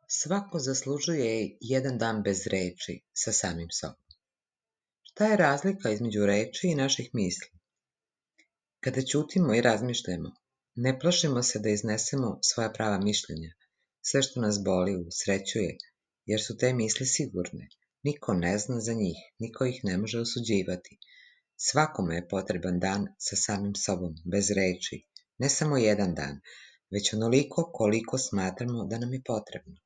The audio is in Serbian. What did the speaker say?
Svako zaslužuje jedan dan bez reči sa samim sobom. Šta je razlika između reči i naših misli? Kada ćutimo i razmišljamo, ne plašimo se da iznesemo svoja prava mišljenja. Sve što nas boli usrećuje, jer su te misli sigurne. Niko ne zna za njih, niko ih ne može osuđivati. Svakome je potreban dan sa samim sobom, bez reči. Ne samo jedan dan, već onoliko koliko smatramo da nam je potrebno.